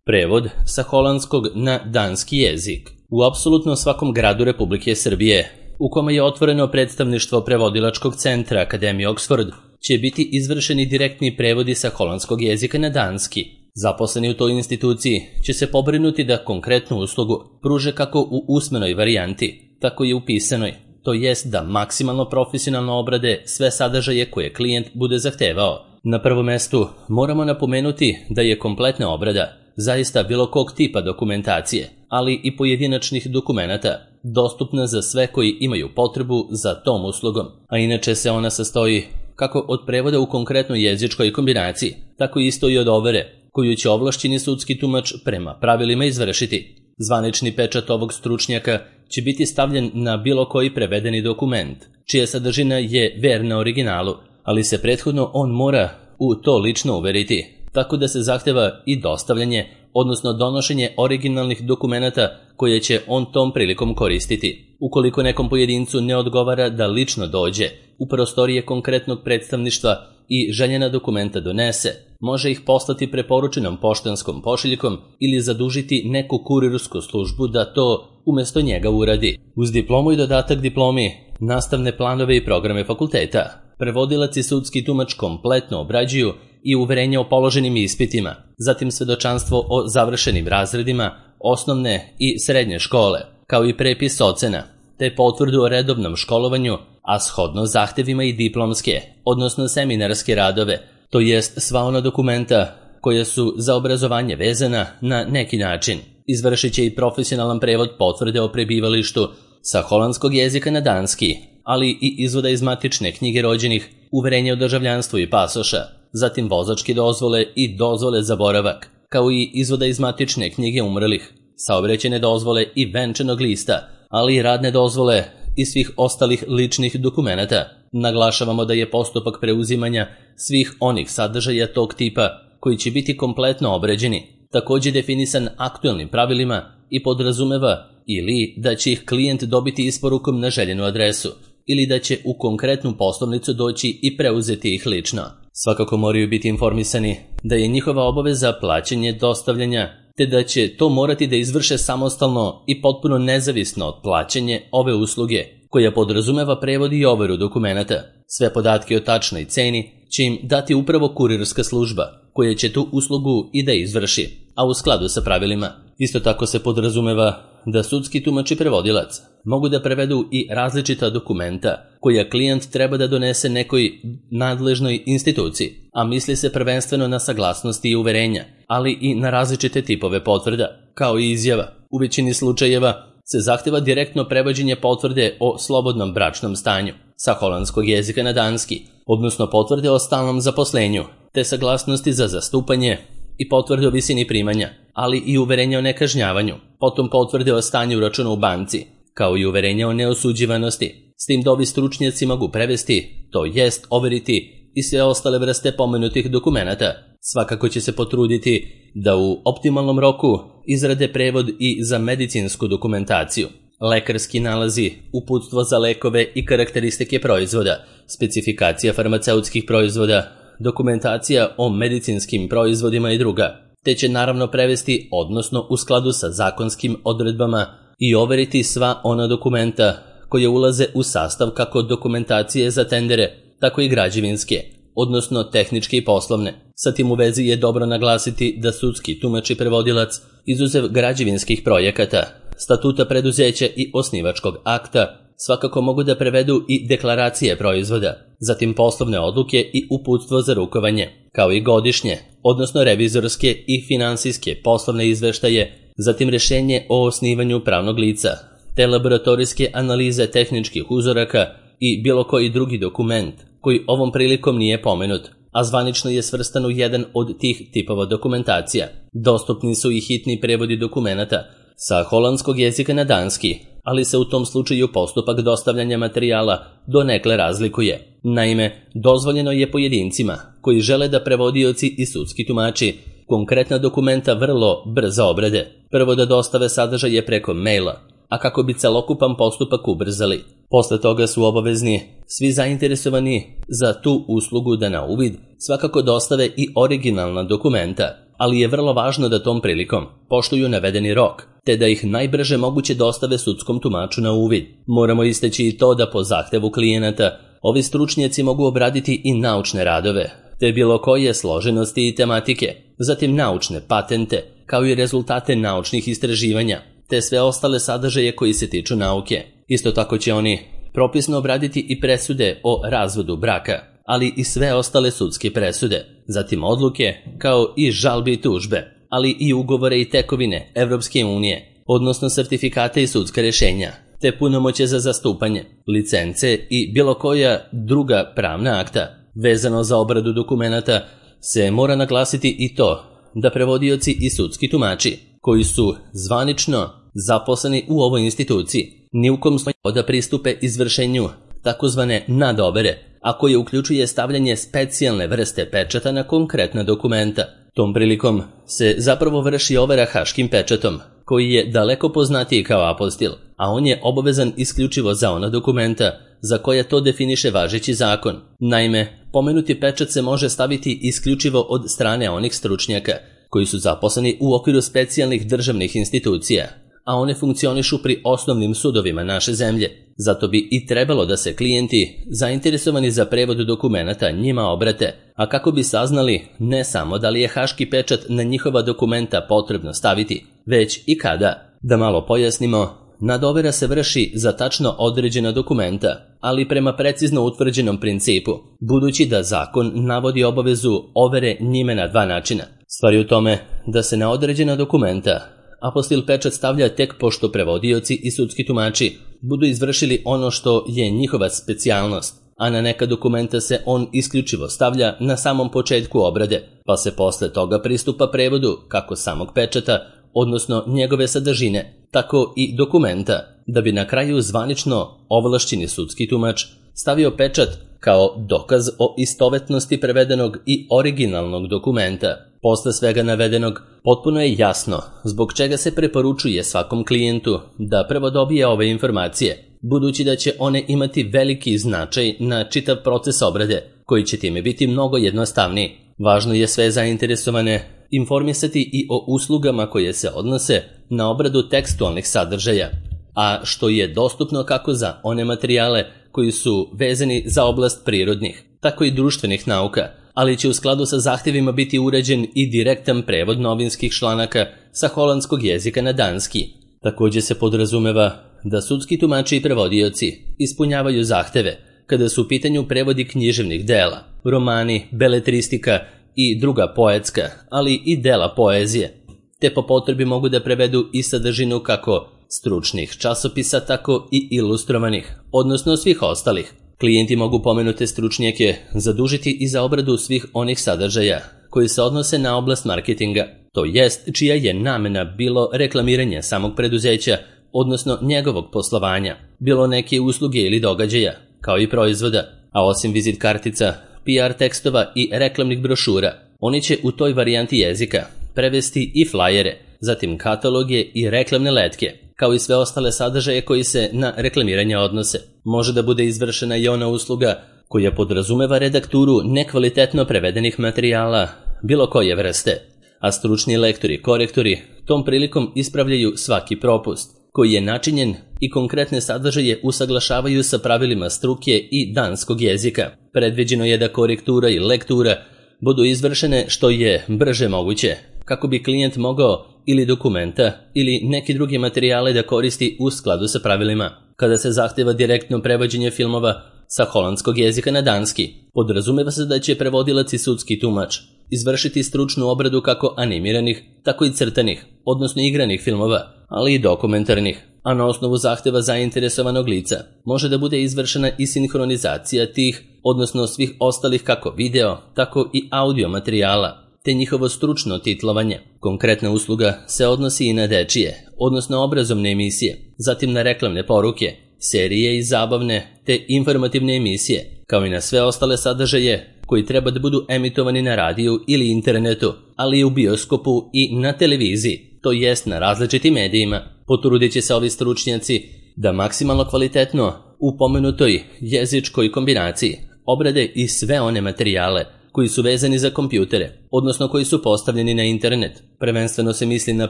Prevod sa holandskog na danski jezik u apsolutno svakom gradu Republike Srbije, u kome je otvoreno predstavništvo prevodilačkog centra Akademije Oxford, će biti izvršeni direktni prevodi sa holandskog jezika na danski. Zaposleni u toj instituciji će se pobrinuti da konkretnu uslugu pruže kako u usmenoj varijanti, tako i u pisanoj, to jest da maksimalno profesionalno obrade sve sadržaje koje klijent bude zahtevao. Na prvom mestu moramo napomenuti da je kompletna obrada zaista bilo kog tipa dokumentacije, ali i pojedinačnih dokumenata, dostupna za sve koji imaju potrebu za tom uslugom, a inače se ona sastoji kako od prevoda u konkretnoj jezičkoj kombinaciji, tako isto i od overe, koju će ovlašćeni sudski tumač prema pravilima izvršiti. Zvanični pečat ovog stručnjaka će biti stavljen na bilo koji prevedeni dokument, čija sadržina je verna originalu, ali se prethodno on mora u to lično uveriti, tako da se zahteva i dostavljanje, odnosno donošenje originalnih dokumenata koje će on tom prilikom koristiti. Ukoliko nekom pojedincu ne odgovara da lično dođe u prostorije konkretnog predstavništva i željena dokumenta donese, može ih poslati preporučenom poštanskom pošiljkom ili zadužiti neku kurirsku službu da to umesto njega uradi. Uz diplomu i dodatak diplomi, nastavne planove i programe fakulteta, prevodilac i sudski tumač kompletno obrađuju i uverenje o položenim ispitima, zatim svedočanstvo o završenim razredima osnovne i srednje škole, kao i prepis ocena, te potvrdu o redovnom školovanju, a shodno zahtevima i diplomske, odnosno seminarske radove, to jest sva ona dokumenta koja su za obrazovanje vezana na neki način. Izvršit će i profesionalan prevod potvrde o prebivalištu sa holandskog jezika na danski, ali i izvoda iz matične knjige rođenih, uverenje o državljanstvu i pasoša, zatim vozačke dozvole i dozvole za boravak, kao i izvoda iz matične knjige umrlih, saobraćajne dozvole i venčanog lista, ali i radne dozvole i svih ostalih ličnih dokumenata. Naglašavamo da je postupak preuzimanja svih onih sadržaja tog tipa koji će biti kompletno obrađeni, također definisan aktuelnim pravilima i podrazumeva ili da će ih klijent dobiti isporukom na željenu adresu, ili da će u konkretnu poslovnicu doći i preuzeti ih lično. Svakako moraju biti informisani da je njihova obaveza plaćanje dostavljanja, te da će to morati da izvrše samostalno i potpuno nezavisno od plaćanje ove usluge, koja podrazumeva prevod i overu dokumenata. Sve podatke o tačnoj ceni će im dati upravo kurirska služba, koja će tu uslugu i da izvrši, a u skladu sa pravilima. Isto tako se podrazumeva da sudski tumač i prevodilac mogu da prevedu i različita dokumenta koja klijent treba da donese nekoj nadležnoj instituciji, a misli se prvenstveno na saglasnosti i uverenja, ali i na različite tipove potvrda, kao i izjava. U većini slučajeva se zahteva direktno prevođenje potvrde o slobodnom bračnom stanju sa holandskog jezika na danski, odnosno potvrde o stalnom zaposlenju, te saglasnosti za zastupanje i potvrde o visini primanja, ali i uverenje o nekažnjavanju, potom potvrde o stanju računa u banci, kao i uverenje o neosuđivanosti, s tim da ovi stručnjaci mogu prevesti, to jest overiti i sve ostale vrste pomenutih dokumenata. Svakako će se potruditi da u optimalnom roku izrade prevod i za medicinsku dokumentaciju, lekarski nalazi, uputstvo za lekove i karakteristike proizvoda, specifikacija farmaceutskih proizvoda, dokumentacija o medicinskim proizvodima i druga, te će naravno prevesti, odnosno u skladu sa zakonskim odredbama, i overiti sva ona dokumenta koje ulaze u sastav kako dokumentacije za tendere, tako i građevinske, odnosno tehničke i poslovne. Sa tim u vezi je dobro naglasiti da sudski tumač i prevodilac, izuzev građevinskih projekata, statuta preduzeća i osnivačkog akta, svakako mogu da prevedu i deklaracije proizvoda, zatim poslovne odluke i uputstvo za rukovanje, kao i godišnje, odnosno revizorske i finansijske poslovne izveštaje, zatim rješenje o osnivanju pravnog lica, te laboratorijske analize tehničkih uzoraka i bilo koji drugi dokument koji ovom prilikom nije pomenut, a zvanično je svrstan u jedan od tih tipova dokumentacija. Dostupni su i hitni prevodi dokumenata sa holandskog jezika na danski, ali se u tom slučaju postupak dostavljanja materijala donekle razlikuje. Naime, dozvoljeno je pojedincima koji žele da prevodioci i sudski tumači konkretna dokumenta vrlo brzo obrade, prvo da dostave sadržaje preko maila, a kako bi celokupan postupak ubrzali. Posle toga su obavezni svi zainteresovani za tu uslugu da na uvid svakako dostave i originalna dokumenta, ali je vrlo važno da tom prilikom poštuju navedeni rok, te da ih najbrže moguće dostave sudskom tumaču na uvid. Moramo istaći i to da po zahtevu klijenata ovi stručnjaci mogu obraditi i naučne radove, te bilo koje složenosti i tematike, zatim naučne patente, kao i rezultate naučnih istraživanja, te sve ostale sadržaje koji se tiču nauke. Isto tako će oni propisno obraditi i presude o razvodu braka, ali i sve ostale sudske presude, zatim odluke, kao i žalbe i tužbe, ali i ugovore i tekovine Evropske unije, odnosno sertifikate i sudska rješenja, te punomoće za zastupanje, licence i bilo koja druga pravna akta. Vezano za obradu dokumenata se mora naglasiti i to da prevodioci i sudski tumači, koji su zvanično zaposleni u ovoj instituciji, ni u kom slučaju da pristupe izvršenju takozvane nadovere, a koje uključuje stavljanje specijalne vrste pečata na konkretna dokumenta. Tom prilikom se zapravo vrši overa haškim pečatom, koji je daleko poznatiji kao apostil, a on je obavezan isključivo za ona dokumenta za koje to definiše važeći zakon. Naime, pomenuti pečat se može staviti isključivo od strane onih stručnjaka koji su zaposleni u okviru specijalnih državnih institucija, a one funkcionišu pri osnovnim sudovima naše zemlje. Zato bi i trebalo da se klijenti zainteresovani za prevod dokumenata njima obrate, a kako bi saznali ne samo da li je haški pečat na njihova dokumenta potrebno staviti, već i kada. Da malo pojasnimo, nadovera se vrši za tačno određena dokumenta, ali prema precizno utvrđenom principu, budući da zakon navodi obavezu overe njime na dva načina. Stvar je u tome da se na određena dokumenta apostil pečat stavlja tek pošto prevodioci i sudski tumači budu izvršili ono što je njihova specijalnost, a na neka dokumenta se on isključivo stavlja na samom početku obrade, pa se posle toga pristupa prevodu kako samog pečata, odnosno njegove sadržine, tako i dokumenta, da bi na kraju zvanično ovlašćeni sudski tumač stavio pečat kao dokaz o istovetnosti prevedenog i originalnog dokumenta. Posle svega navedenog, potpuno je jasno zbog čega se preporučuje svakom klijentu da prvo dobije ove informacije, budući da će one imati veliki značaj na čitav proces obrade, koji će time biti mnogo jednostavniji. Važno je sve zainteresovane informisati i o uslugama koje se odnose na obradu tekstualnih sadržaja, a što je dostupno kako za one materijale koji su vezani za oblast prirodnih, tako i društvenih nauka, ali će u skladu sa zahtjevima biti uređen i direktan prevod novinskih članaka sa holandskog jezika na danski. Također se podrazumeva da sudski tumači i prevodioci ispunjavaju zahteve kada su u pitanju prevodi književnih dela, romani, beletristika i druga poetska, ali i dela poezije, te po potrebi mogu da prevedu i sadržinu kako stručnih časopisa, tako i ilustrovanih, odnosno svih ostalih. Klijenti mogu pomenute stručnjake zadužiti i za obradu svih onih sadržaja koji se odnose na oblast marketinga, to jest čija je namena bilo reklamiranje samog preduzeća, odnosno njegovog poslovanja, bilo neke usluge ili događaja, kao i proizvoda, a osim vizit kartica, PR tekstova i reklamnih brošura, oni će u toj varijanti jezika prevesti i flajere, zatim kataloge i reklamne letke, kao i sve ostale sadržaje koji se na reklamiranje odnose. Može da bude izvršena i ona usluga koja podrazumeva redakturu nekvalitetno prevedenih materijala bilo koje vrste, a stručni lektori i korektori tom prilikom ispravljaju svaki propust koji je načinjen i konkretne sadržaje usaglašavaju sa pravilima struke i danskog jezika. Predviđeno je da korektura i lektura budu izvršene što je brže moguće, kako bi klijent mogao ili dokumenta ili neki drugi materijale da koristi u skladu sa pravilima. Kada se zahteva direktno prevođenje filmova sa holandskog jezika na danski, podrazumeva se da će prevodilac i sudski tumač izvršiti stručnu obradu kako animiranih, tako i crtanih, odnosno igranih filmova, ali i dokumentarnih, a na osnovu zahteva zainteresovanog lica može da bude izvršena i sinhronizacija tih, odnosno svih ostalih kako video, tako i audio materijala, te njihovo stručno titlovanje. Konkretna usluga se odnosi i na dečije, odnosno obrazovne emisije, zatim na reklamne poruke, serije i zabavne te informativne emisije, kao i na sve ostale sadržaje koji treba da budu emitovani na radiju ili internetu, ali i u bioskopu i na televiziji, to jest na različitim medijima. Potrudit će se ovi stručnjaci da maksimalno kvalitetno u pomenutoj jezičkoj kombinaciji obrade i sve one materijale koji su vezani za kompjutere, odnosno koji su postavljeni na internet. Prvenstveno se misli na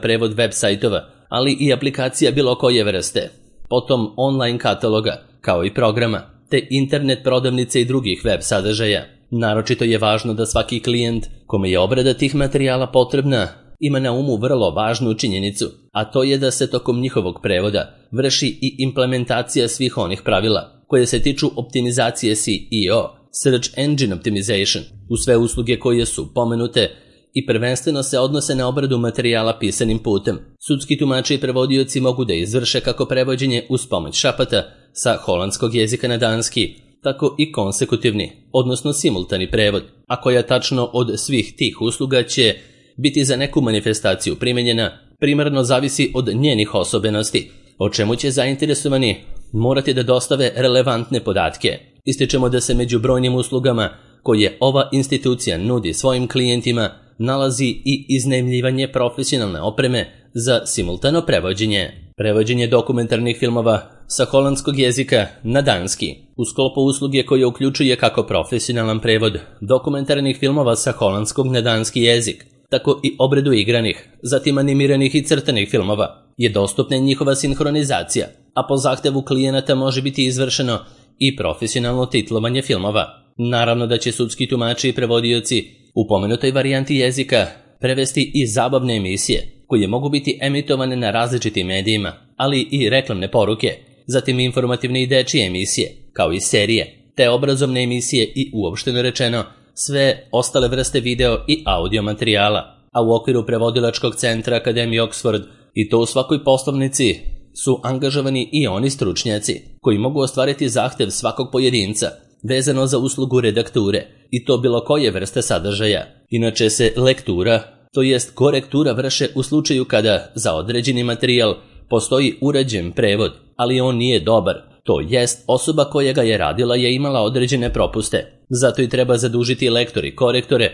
prevod web sajtova, ali i aplikacija bilo koje vrste. Potom online kataloga, kao i programa, te internet prodavnice i drugih web sadržaja. Naročito je važno da svaki klijent kome je obrada tih materijala potrebna ima na umu vrlo važnu činjenicu, a to je da se tokom njihovog prevoda vrši i implementacija svih onih pravila koje se tiču optimizacije SEO, Search Engine Optimization, u sve usluge koje su pomenute i prvenstveno se odnose na obradu materijala pisanim putem. Sudski tumači i prevodioci mogu da izvrše kako prevođenje uz pomoć šapata sa holandskog jezika na danski, tako i konsekutivni, odnosno simultani prevod, a koja tačno od svih tih usluga će biti za neku manifestaciju primenjena, primarno zavisi od njenih osobenosti, o čemu će zainteresovani morati da dostave relevantne podatke. Ističemo da se među brojnim uslugama koje ova institucija nudi svojim klijentima nalazi i iznajmljivanje profesionalne opreme za simultano prevođenje. Prevođenje dokumentarnih filmova sa holandskog jezika na danski u sklopu usluge koje uključuje kako profesionalan prevod dokumentarnih filmova sa holandskog na danski jezik, tako i obradu igranih, zatim animiranih i crtanih filmova, je dostupna njihova sinhronizacija, a po zahtevu klijenata može biti izvršeno i profesionalno titlovanje filmova. Naravno da će sudski tumači i prevodioci u pomenutoj varijanti jezika prevesti i zabavne emisije, koje mogu biti emitovane na različitim medijima, ali i reklamne poruke, zatim informativne i dečije emisije, kao i serije, te obrazovne emisije i uopšteno rečeno sve ostale vrste video i audio materijala, a u okviru prevodilačkog centra Akademije Oxford i to u svakoj poslovnici su angažovani i oni stručnjaci koji mogu ostvariti zahtev svakog pojedinca vezano za uslugu redakture i to bilo koje vrste sadržaja. Inače se lektura, to jest korektura, vrše u slučaju kada za određeni materijal postoji urađen prevod, ali on nije dobar, to jest osoba koja ga je radila je imala određene propuste. Zato i treba zadužiti lektori i korektore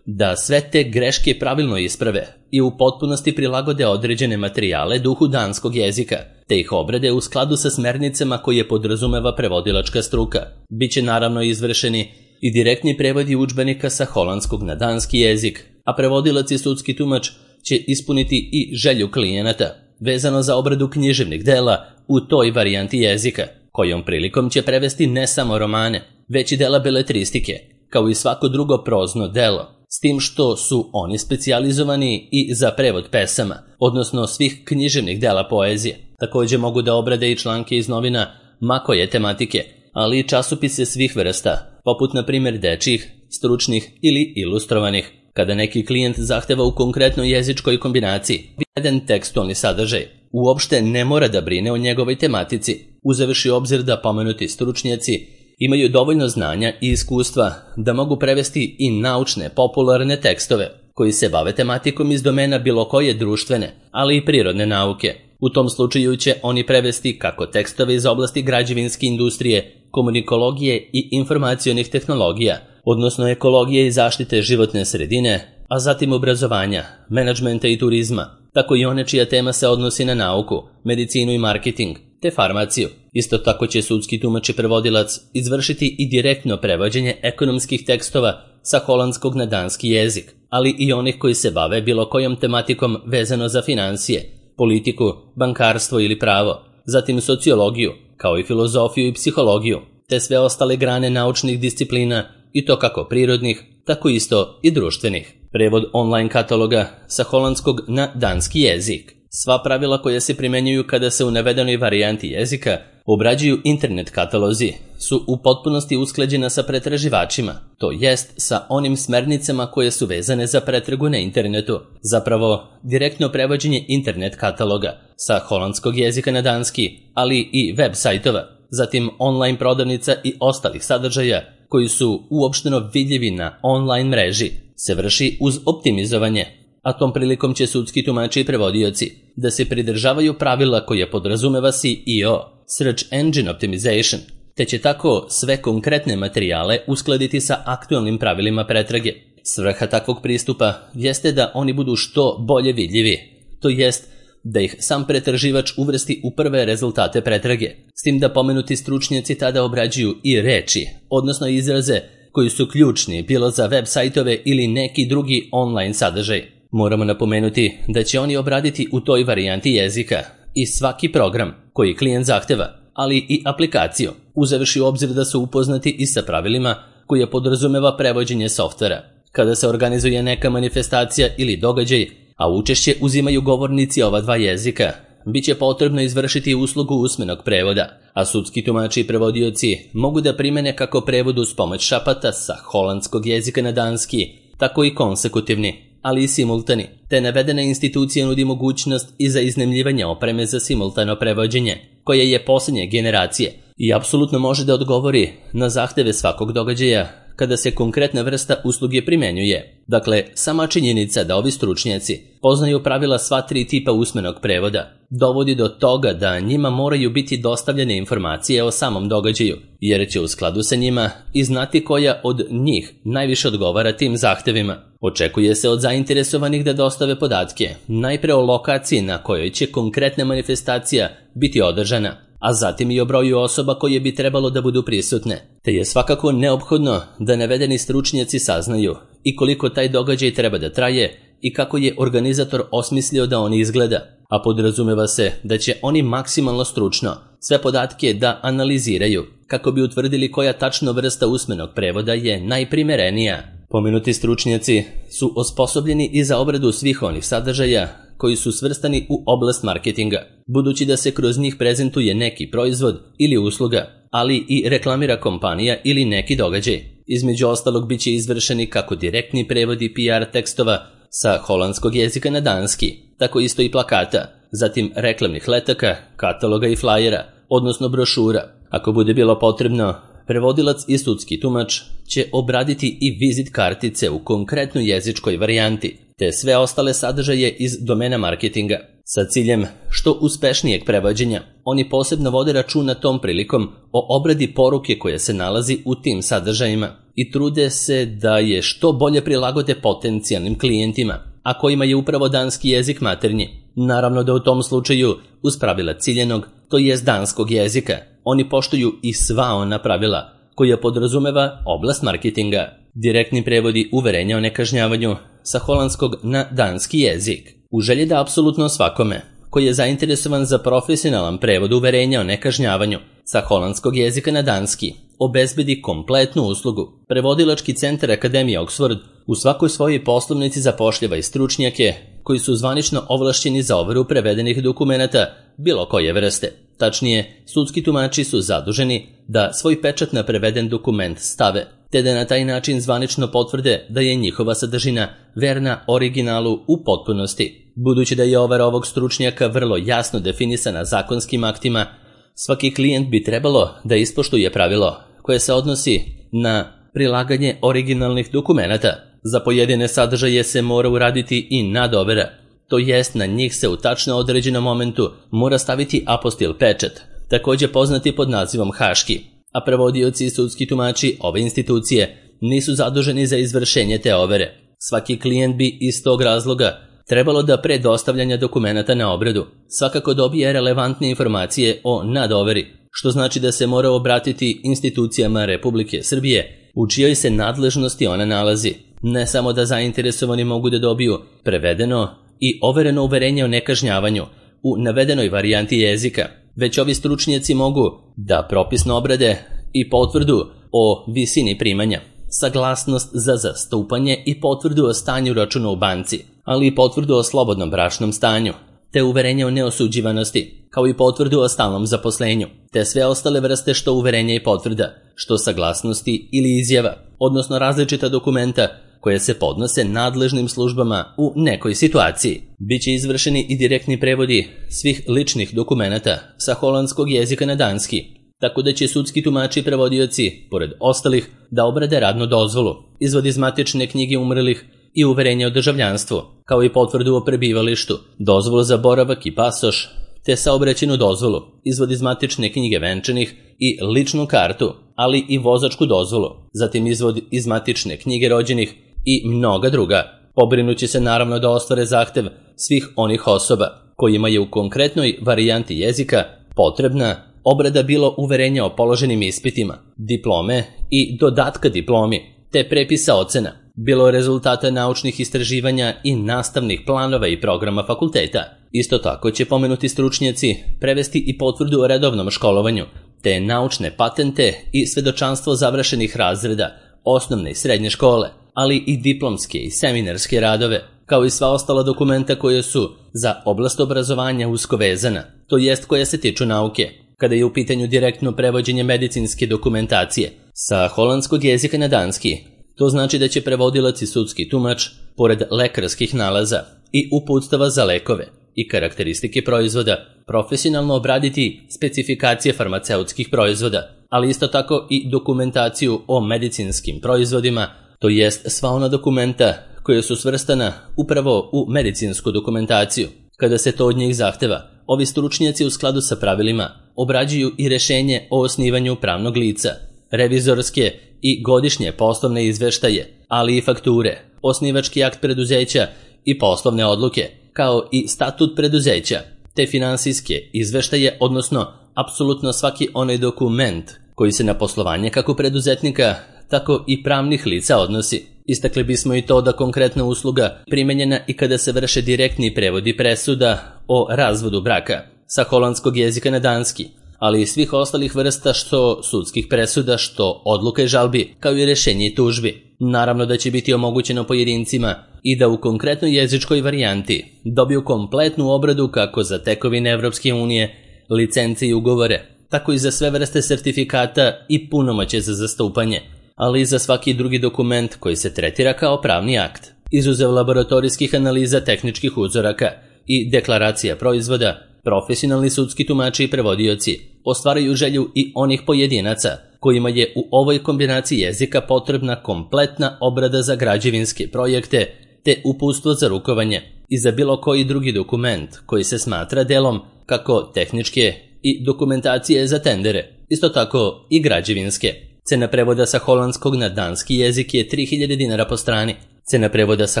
da sve te greške pravilno isprave i u potpunosti prilagode određene materijale duhu danskog jezika, te ih obrade u skladu sa smernicama koje podrazumeva prevodilačka struka. Biće naravno izvršeni i direktni prevodi udžbenika sa holandskog na danski jezik, a prevodilac i sudski tumač će ispuniti i želju klijenata vezano za obradu književnih dela u toj varijanti jezika, kojom prilikom će prevesti ne samo romane, već i dela beletristike, kao i svako drugo prozno delo, s tim što su oni specijalizovani i za prevod pesama, odnosno svih književnih dela poezije. Također mogu da obrade i članke iz novina ma koje tematike, ali i časopise svih vrsta, poput na primjer dečjih, stručnih ili ilustrovanih. Kada neki klijent zahteva u konkretnoj jezičkoj kombinaciji jedan tekstualni sadržaj, uopšte ne mora da brine o njegovoj tematici, uzevši obzir da pomenuti stručnjaci imaju dovoljno znanja i iskustva da mogu prevesti i naučne, popularne tekstove koji se bave tematikom iz domena bilo koje društvene, ali i prirodne nauke. U tom slučaju će oni prevesti kako tekstove iz oblasti građevinske industrije, komunikologije i informacionih tehnologija, odnosno ekologije i zaštite životne sredine, a zatim obrazovanja, menadžmenta i turizma, tako i one čija tema se odnosi na nauku, medicinu i marketing, te farmaciju. Isto tako će sudski tumač i prevodilac izvršiti i direktno prevođenje ekonomskih tekstova sa holandskog na danski jezik, ali i onih koji se bave bilo kojom tematikom vezano za financije, politiku, bankarstvo ili pravo, zatim sociologiju, kao i filozofiju i psihologiju, te sve ostale grane naučnih disciplina i to kako prirodnih, tako isto i društvenih. Prevod online kataloga sa holandskog na danski jezik. Sva pravila koja se primenjuju kada se u navedenoj varijanti jezika obrađuju internet katalozi su u potpunosti usklađena sa pretraživačima, to jest sa onim smernicama koje su vezane za pretragu na internetu. Zapravo, direktno prevođenje internet kataloga sa holandskog jezika na danski, ali i web sajtova, zatim online prodavnica i ostalih sadržaja koji su uopšteno vidljivi na online mreži, se vrši uz optimizovanje, a tom prilikom će sudski tumači i prevodioci da se pridržavaju pravila koje podrazumeva SEO, Search Engine Optimization, te će tako sve konkretne materijale uskladiti sa aktualnim pravilima pretrage. Svrha takvog pristupa jeste da oni budu što bolje vidljivi, to jest da ih sam pretraživač uvrsti u prve rezultate pretrage, s tim da pomenuti stručnjaci tada obrađuju i reči, odnosno izraze koji su ključni bilo za web sajtove ili neki drugi online sadržaj. Moramo napomenuti da će oni obraditi u toj varijanti jezika i svaki program koji klijent zahteva, ali i aplikaciju, uzevši u obzir da su upoznati i sa pravilima koje podrazumeva prevođenje softvera. Kada se organizuje neka manifestacija ili događaj, a učešće uzimaju govornici ova dva jezika, bit će potrebno izvršiti uslugu usmenog prevoda, a sudski tumači i prevodioci mogu da primene kako prevod uz pomoć šapata sa holandskog jezika na danski, tako i konsekutivni, ali i simultani, te navedena institucija nudi mogućnost i za iznajmljivanje opreme za simultano prevođenje, koja je posljednje generacije i apsolutno može da odgovori na zahteve svakog događaja kada se konkretna vrsta usluge primenjuje. Dakle, sama činjenica da ovi stručnjaci poznaju pravila sva tri tipa usmenog prevoda dovodi do toga da njima moraju biti dostavljene informacije o samom događaju, jer će u skladu sa njima i znati koja od njih najviše odgovara tim zahtevima. Očekuje se od zainteresovanih da dostave podatke, najpre o lokaciji na kojoj će konkretna manifestacija biti održana, a zatim i o broju osoba koje bi trebalo da budu prisutne, te je svakako neophodno da navedeni stručnjaci saznaju i koliko taj događaj treba da traje i kako je organizator osmislio da on izgleda, a podrazumeva se da će oni maksimalno stručno sve podatke da analiziraju kako bi utvrdili koja tačno vrsta usmenog prevoda je najprimerenija. Pomenuti stručnjaci su osposobljeni i za obradu svih onih sadržaja koji su svrstani u oblast marketinga, budući da se kroz njih prezentuje neki proizvod ili usluga, ali i reklamira kompanija ili neki događaj. Između ostalog bit će izvršeni kako direktni prevodi PR tekstova sa holandskog jezika na danski, tako isto i plakata, zatim reklamnih letaka, kataloga i flajera, odnosno brošura. Ako bude bilo potrebno, prevodilac i sudski tumač će obraditi i vizit kartice u konkretnoj jezičkoj varijanti, te sve ostale sadržaje iz domena marketinga. Sa ciljem što uspešnijeg prevođenja, oni posebno vode računa tom prilikom o obradi poruke koja se nalazi u tim sadržajima i trude se da je što bolje prilagode potencijalnim klijentima, a kojima je upravo danski jezik maternji. Naravno da u tom slučaju, uz pravila ciljenog, to jest danskog jezika, oni poštuju i sva ona pravila koja podrazumeva oblast marketinga. Direktni prevodi uverenja o nekažnjavanju sa holandskog na danski jezik. U želji da apsolutno svakome koji je zainteresovan za profesionalan prevod uverenja o nekažnjavanju sa holandskog jezika na danski obezbedi kompletnu uslugu, Prevodilački centar Akademije Oxford u svakoj svojoj poslovnici zapošljava i stručnjake koji su zvanično ovlašćeni za overu prevedenih dokumenata bilo koje vrste. Tačnije, sudski tumači su zaduženi da svoj pečat na preveden dokument stave, te da na taj način zvanično potvrde da je njihova sadržina verna originalu u potpunosti. Budući da je overa ovog stručnjaka vrlo jasno definisana zakonskim aktima, svaki klijent bi trebalo da ispoštuje pravilo koje se odnosi na prilaganje originalnih dokumenata. Za pojedine sadržaje se mora uraditi i nadovera, to jest na njih se u tačno određenom momentu mora staviti apostil pečat, također poznati pod nazivom haški, a prevodioci i sudski tumači ove institucije nisu zaduženi za izvršenje te overe. Svaki klijent bi iz tog razloga trebalo da pre dostavljanja dokumenata na obradu svakako dobije relevantne informacije o nadoveri, što znači da se mora obratiti institucijama Republike Srbije u čijoj se nadležnosti ona nalazi. Ne samo da zainteresovani mogu da dobiju prevedeno i overeno uverenje o nekažnjavanju u navedenoj varijanti jezika, već ovi stručnjaci mogu da propisno obrade i potvrdu o visini primanja, saglasnost za zastupanje i potvrdu o stanju računa u banci, ali i potvrdu o slobodnom bračnom stanju, te uverenje o neosuđivanosti, kao i potvrdu o stalnom zaposlenju, te sve ostale vrste što uverenja i potvrda, što saglasnosti ili izjava, odnosno različita dokumenta koje se podnose nadležnim službama u nekoj situaciji. Biće izvršeni i direktni prevodi svih ličnih dokumenata sa holandskog jezika na danski, tako da će sudski tumači i prevodioci, pored ostalih, da obrade radnu dozvolu, izvod iz matične knjige umrlih i uverenje o državljanstvu, kao i potvrdu o prebivalištu, dozvolu za boravak i pasoš, te saobraćajnu dozvolu, izvod iz matične knjige venčanih i ličnu kartu, ali i vozačku dozvolu, zatim izvod iz matične knjige rođenih i mnoga druga. Pobrinući se naravno da ostvare zahtev svih onih osoba kojima je u konkretnoj varijanti jezika potrebna obrada bilo uverenja o položenim ispitima, diplome i dodatka diplomi, te prepisa ocena, bilo rezultata naučnih istraživanja i nastavnih planova i programa fakulteta. Isto tako će pomenuti stručnjaci prevesti i potvrdu o redovnom školovanju, te naučne patente i svedočanstvo završenih razreda osnovne i srednje škole, ali i diplomske i seminarske radove, kao i sva ostala dokumenta koje su za oblast obrazovanja usko vezana, to jest koja se tiču nauke, kada je u pitanju direktno prevođenje medicinske dokumentacije sa holandskog jezika na danski. To znači da će prevodilac i sudski tumač, pored lekarskih nalaza i uputstava za lekove i karakteristike proizvoda, profesionalno obraditi specifikacije farmaceutskih proizvoda, ali isto tako i dokumentaciju o medicinskim proizvodima, to jest sva ona dokumenta koja su svrstana upravo u medicinsku dokumentaciju. Kada se to od njih zahteva, ovi stručnjaci u skladu sa pravilima obrađuju i rešenje o osnivanju pravnog lica, revizorske i godišnje poslovne izveštaje, ali i fakture, osnivački akt preduzeća i poslovne odluke, kao i statut preduzeća, te finansijske izveštaje, odnosno apsolutno svaki onaj dokument koji se na poslovanje kako preduzetnika, tako i pravnih lica odnosi. Istakli bismo i to da konkretna usluga primenjena i kada se vrše direktni prevodi presuda o razvodu braka sa holandskog jezika na danski, ali i svih ostalih vrsta što sudskih presuda, što odluka i žalbi, kao i rešenje i tužbi. Naravno da će biti omogućeno pojedincima i da u konkretnoj jezičkoj varijanti dobiju kompletnu obradu kako za tekovine Evropske unije, licence i ugovore, tako i za sve vrste sertifikata i punomoćje za zastupanje, ali i za svaki drugi dokument koji se tretira kao pravni akt. Izuzev laboratorijskih analiza tehničkih uzoraka i deklaracija proizvoda, profesionalni sudski tumači i prevodioci ostvaraju želju i onih pojedinaca kojima je u ovoj kombinaciji jezika potrebna kompletna obrada za građevinske projekte te uputstvo za rukovanje i za bilo koji drugi dokument koji se smatra delom kako tehničke i dokumentacije za tendere, isto tako i građevinske. Cena prevoda sa holandskog na danski jezik je 3000 dinara po strani. Cena prevoda sa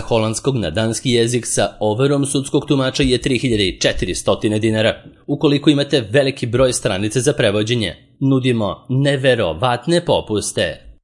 holandskog na danski jezik sa overom sudskog tumača je 3400 dinara. Ukoliko imate veliki broj stranice za prevođenje, nudimo neverovatne popuste.